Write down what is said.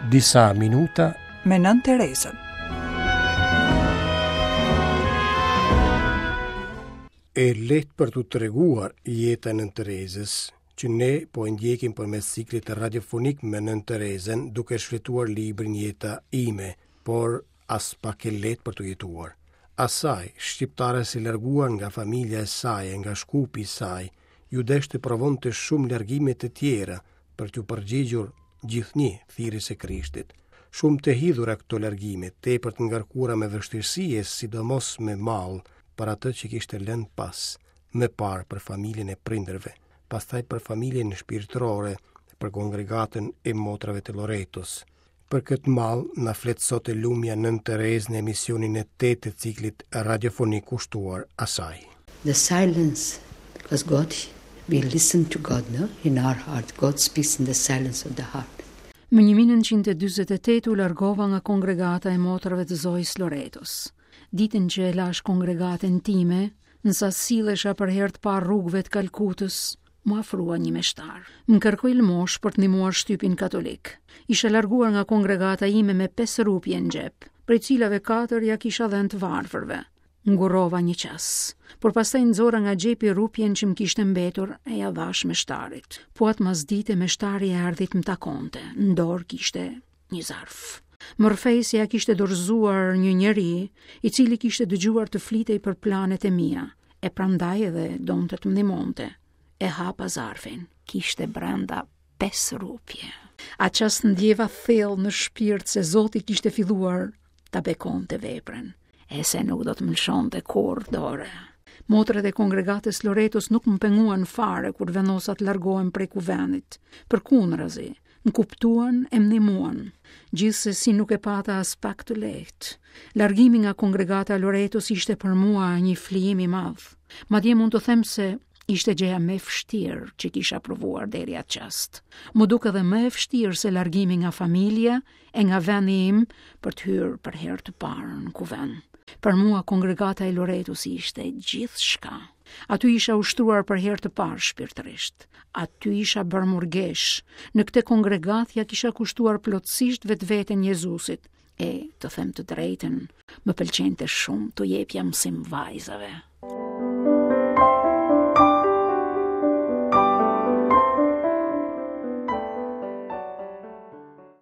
Disa minuta me Nënë Terezën. E lehtë për t'u treguar jeta e Nënë Terezës, që ne po e ndjekim përmes ciklit radiofonik me Nënë Terezën duke shfletuar librin Jeta ime, por aspak e lehtë për t'u jetuar. Asaj, shqiptares së larguar nga familja e saj e nga Shkupi i saj, iu desh të provonte shumë largime të tjera për t'iu përgjigjur gjithnjë thirrjes së Krishtit. Shumë të hidhura këto largime, tepër të ngarkuara me vështirësi e sidomos me mall për atë që kishte lënë pas, më parë për familjen e prindërve, pastaj për familjen shpirtërore, për kongregatën e motrave të Loretos. Për këtë mall na flet sot e lumja Nënë Terezë në emisionin e 8 të ciklit radiofonik kushtuar asaj. The silence, because God, we listen to God, no? In our heart, God speaks in the silence of the heart. Më 1948 u largova nga kongregata e motrave të Zojës Loretos. Ditën që e lashë kongregatën time, ndërsa sillesha për herë të parë rrugëve të Kalkutës, M'u afrua një meshtar. Më kërkoi lëmoshë për të ndihmuar shtypin katolik. Isha larguar nga kongregata ime me 5 rupje në xhep, prej cilave 4 ia kisha dhënë të varfërve. Ngurrova një ças, por pastaj nxora nga xhepi rupjen që më kishte mbetur e ia dhashë meshtarit. Po atë masdite meshtari erdhi të më takonte. Në dorë kishte një zarf. Më rrëfeu se ia kishte dorëzuar një njeri, i cili kishte dëgjuar të flitej për planet e mia, e prandaj edhe donte të më ndihmonte. E hapa zarfin, kishte brenda 5 rupje. Atë çast ndjeva thellë në shpirt se Zoti kishte filluar ta bekonte veprën, e se nuk do të më lëshonte kurrë dore. Motrat e kongregatës Loretos nuk më penguan fare kur vendosa të largohem prej kuvendit. Përkundrazi, më kuptuan e më ndihmuan. Gjithsesi nuk e pata aspak të lehtë. Largimi nga kongregata e Loretos ishte për mua një flijim i madh. Madje mund të them se ishte gjëja më e vështirë që kisha provuar deri atë çast. M'u duk edhe më e vështirë se largimi nga familja e nga vendi im për të hyrë për herë të parë në kuvend. Për mua kongregata e Loretos ishte gjithçka. Aty isha ushtruar për herë të parë shpirtërisht. Aty isha bërë murgeshë. Në këtë kongregatë ia kisha kushtuar plotësisht vetveten Jezusit. E, të them të drejtën, më pëlqente shumë t'u jepja mësim vajzave.